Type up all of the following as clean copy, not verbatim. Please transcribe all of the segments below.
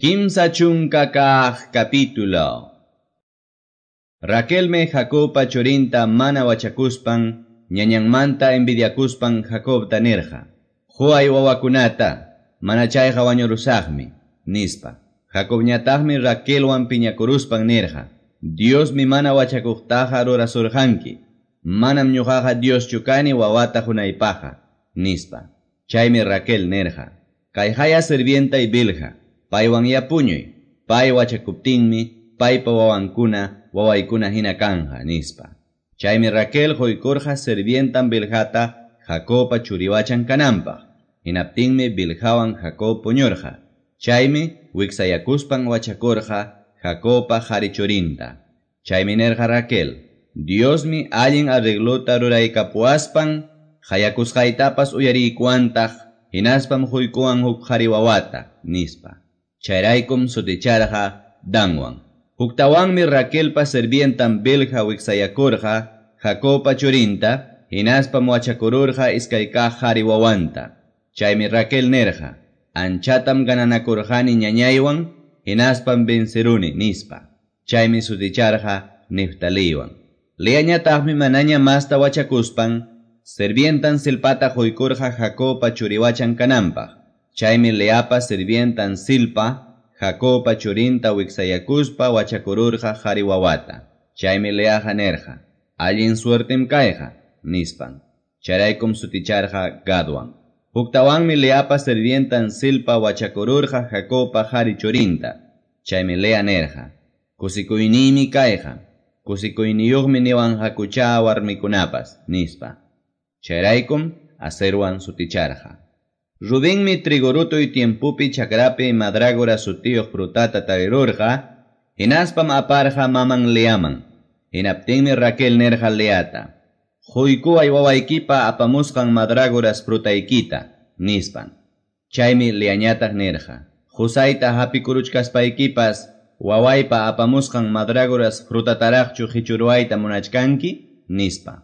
30 capítulo. Raquelmi Jacobpa churinta mana wachakuspan, ñañanmanta envidiakuspan Jacobta nirqa: "Quway wawakunata, mana chayqa wañurusaqmi", nispa. Jacobñataqmi Raquelwan piñakuruspan nirqa: "Diosmi mana wachakuqtaqa rurasurqanki, manam ñuqaqa Dioschu kani wawata qunaypaqqa", nispa. Chaymi Raquel nirqa: "Kayqaya sirvientay Bilha, paywanya puñuy, pay wachakuptinmi paypa wawankuna wawaykuna hina kanja", nispa. Chaymi Raquel quykurqa sirvientan Bilhata Jacobpa churiwachan kananpaq. Hinaptinmi Bilhawan Jacob puñurqa. Chaymi wiksayakuspan wachakurqa Jacobpa qari churinta. Chaymi nirqa Raquel: "Diosmi allin arreglota ruraykapuwaspan qayakusqaytapas uyariykuwantaq, hinaspam quykuwan huk qari wawata", nispa. Chayraykum suticharqa Danwan. Huktawanmi Raquelpa sirvientan Bilha wiksayakurqa Jacobpa churinta, hinaspam wachakururqa iskay kaq qari wawanta. Chaymi Raquel nirqa: "Anchatam gananakurqani ñañaywan, hinaspam venceruni", nispa. Chaymi suticharqa Neftaliwan. Leañataqmi manaña masta wachakuspan, sirvientan Zilpata quykurqa Jacobpa churiwachan kananpaq. Chaymi Leapa sirvientan Zilpa Jacobpa churinta wiksayakuspa wachakururqa qari wawata. Chaymi Leaqa nirqa: "Allin suertem kayqa", nispan. Chayraykum suticharqa Gadwan. Huktawanmi Leapa sirvientan Zilpa wachakururqa Jacobpa qari churinta. Chaymi Lea nirqa: "Kusikuyniymi kayqa, kusikuyniyuqmi niwanqakucha warmikunapas", nispa. Chayraykum Aserwan suticharqa. Rubenmi trigo rutuy tiempopi chakrapi mandrágora sutiyuq frutata tarirurqa, hinaspam aparqa maman Leaman. Hinaptinmi Raquel nirqa Leata: "Quykuway wawaykipa apamusqan mandrágoras frutaykita", nispan. Chaymi Leañataq nirqa: "Qusayta hapikuruchkaspaykipas wawaypa apamusqan mandrágoras frutataraqchu qichuruwayta munachkanki?" nispa.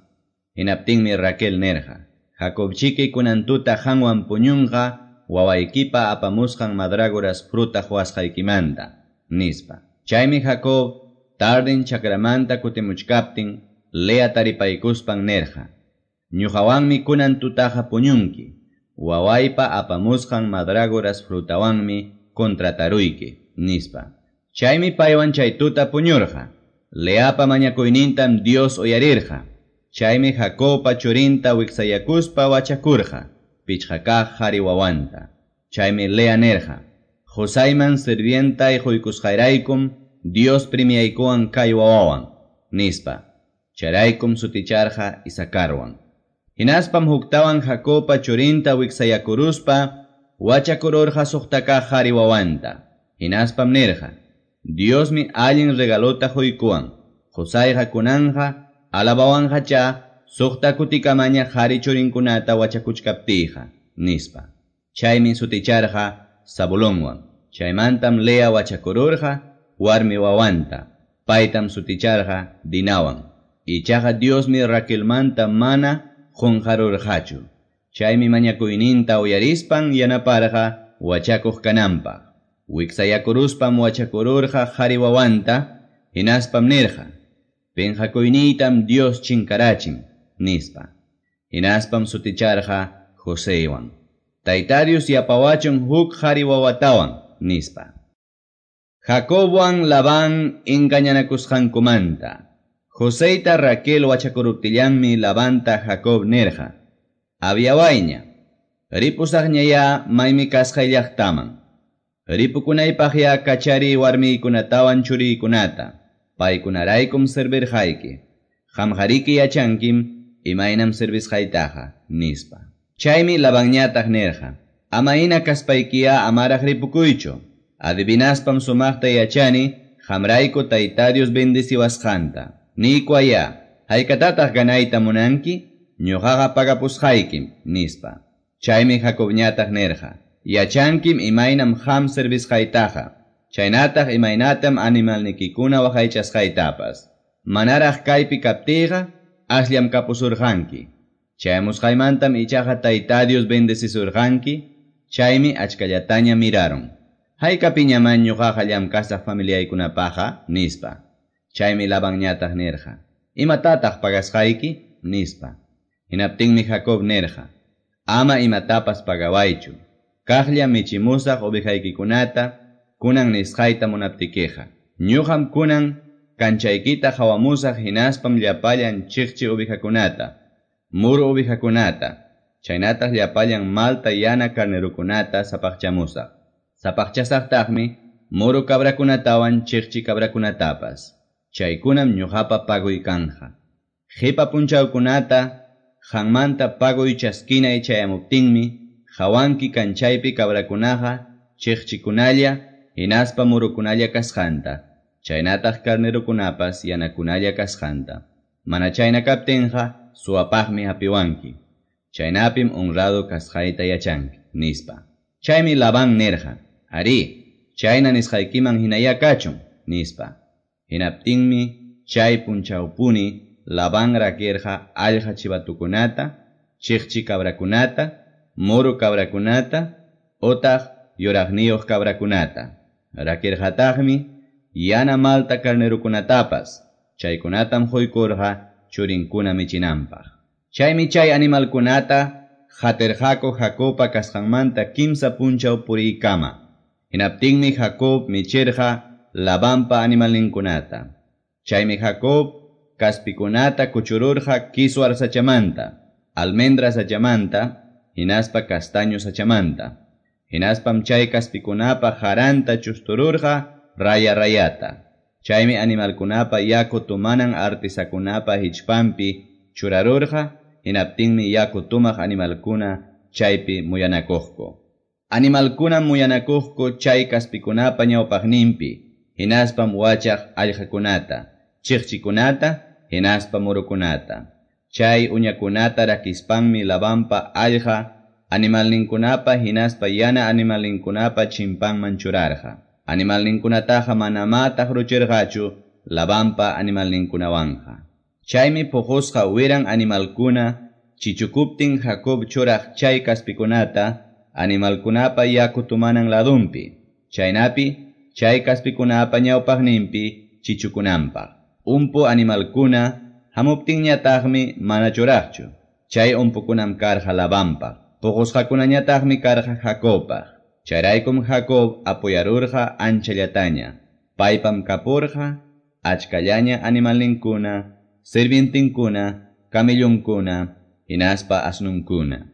Hinaptinmi Raquel nirqa: "Jacobchiki kunan tuta qanwan puñunqa wawaykipa apamusqan mandrágoras fruta quwasqaykimanta", nispa. Chaymi Jacob tarden chakramanta kutimuchkaptin Lea taripaykuspan nirqa: "Ñuqawanmi kunan tutaqa puñunki, wawaypa apamusqan mandrágoras frutawanmi contrataruyki", nispa. Chaymi paywan chay tuta puñurqa. Leapa mañakuynintam Dios uyarirqa. Chaymi Jacobpa churinta wiksayakuspa wachakurqa, pichqa kaq qari wawanta. Chaymi Lea nirqa: "Qusayman sirvientay quykusqayraykum Dios premiaykuwan kay wawawan", nispa. Chayraykum suticharqa Isacarwan. Hinaspam huktawan Jacobpa churinta wiksayakuruspa wachakururqa suqta kaq qari wawanta. Hinaspam nirqa: "Diosmi allin regalota quykuwan, qusayqa kunanqa alabawanqacha suqta kutikamaña qari churinkunata wachakuchkaptiyqa", nispa. Chaymi suticharqa Zabulonwan. Chaymantam Lea wachakururqa warmi wawanta, paytam suticharqa Dinawan. Ichaqa Diosmi Raquelmanta mana qunqarurqachu. Chaymi mañakuyninta uyarispan yanaparqa wachakuq kananpaq. Wiksayakuruspam wachakururqa qari wawanta, hinaspam nirqa: "Pinqakuyniytam Dios chinkarachin", nispa. Hinaspam suticharqa Joseywan. "Tayta Dios yapawachun huk qari wawatawan", nispa. Jacobwan Labán engañanakusqankumanta. Joseyta Raquel wachakuruptillanmi Labanta Jacob nirqa: "Aviawayña, ripusaqñaya maymi kasqay llaqtaman. Ripukunaypaqya kachari warmiykunatawan churiykunata, paykunaraykum servirqayki. Qamqariki yachankim imaynam servisqaytaqa", nispa. Chaymi Labanñataq nirqa: "Ama hina kaspaykiya amaraq ripukuychu. Adivinaspam sumaqta yachani qamrayku Tayta Dios bendeciwasqanta. Niykuwaya, haykatataq ganayta munanki? Ñuqaqa pagapusqaykim", nispa. Chaymi Jacobñataq nirqa: "Yachankim imaynam qam servisqaytaqa, chaynataq imaynatam animalnikikuna waqaychasqaytapas. Manaraq kaypi kaptiyqa asllam kapusurqanki. Chayamusqaymantam ichaqa Tayta Dios bendecisurqanki, chaymi achkallataña mirarun. Haykapiñamá ñuqaqa llamkasaq familiaykunapaqqa? nispa. Chaymi Labanñataq nirqa: Imatataq pagasqayki? nispa. Hinaptinmi Jacob nirqa: Ama imatapas pagawaychu. Kaqlla michimusaq ovejaykikunata kunan nisqayta munaptikiqa. Ñuqam kunan kanchaykita qawamusaq hinaspam llapallan chiqchi ovejakunata, muru ovejakunata, chaynataq llapallan malta yana carnerokunata sapaqchamusaq. Sapaqchasaqtaqmi muru cabrakunatawan chiqchi cabrakunatapas. Chaykunam ñuqapa pagoy kanja. Qipa punchawkunata qanmanta pagoy chaskinay chayamuptinmi qawanki kanchaypi cabrakunaqa chiqchikunalla hinaspa murukunalla kasqanta, chaynataq carnerokunapas yanakunalla kasqanta. Mana chayna kaptinqa suwapaqmi hapiwanki. Chaynapim honrado kasqayta yachanki, nispa. Chaymi Labán nirqa: Arí, chayna nisqaykiman hinayá kachun, nispa. Hinaptinmi chay punchawpuni Labán rakirqa allqa chivatukunata, chiqchi cabrakunata, muru cabrakunata, otaq yuraqniyuq cabrakunata. Rakirqataqmi yana malta carnerokunatapas, chaykunatam quykurqa churinkuna michinanpaq. Chaymi chay animalkunata qatirqaku Jacobpa kasqanmanta kimsa punchaw puriykama. Hinaptinmi Jacob michirqa Labanpa animalninkunata. Chaymi Jacob kaspikunata kuchururqa kiswar sachamanta, almendra sachamanta, hinaspa castaño sachamanta. Hinaspam chay kaspikunapa qaranta chustururqa raya rayata. Chaymi animalkunapa yaku tumanan artisakunapa hichpanpi churarurqa, hinaptinmi yaku tumaq animalkuna chaypi muyanakuqku. Animalkunam muyanakuqku chay kaspikunapa ñawpaqninpi, hinaspam wachaq allqakunata, chiqchikunata, hinaspa murukunata. Chay uñakunata rakispanmi Labanpa allqa animalninkunapa hinaspa yana animalninkunapa chimpanman churarqa. Animalninkunataqa manamá taqruchirqachu Labanpa animalninkunawanqa. Chaymi puqusqa wiran animalkuna chichukuptin Jacob churaq chay kaspikunata animalkunapa yaku tumanan ladunpi, chaynapi chay kaspikunapa ñawpaqninpi chichukunanpaq. Umpu animalkuna hamuptinñataqmi mana churaqchu. Chay umpukunam karqa Labanpaq. Puqusqakunañataqmi karqa Jacobpaq. Chayraykum Jacob apoyarurqa anchallataña. Paypam kapurqa achkallaña animalninkuna, sirvientinkuna, camellonkuna, hinaspa asnunkuna.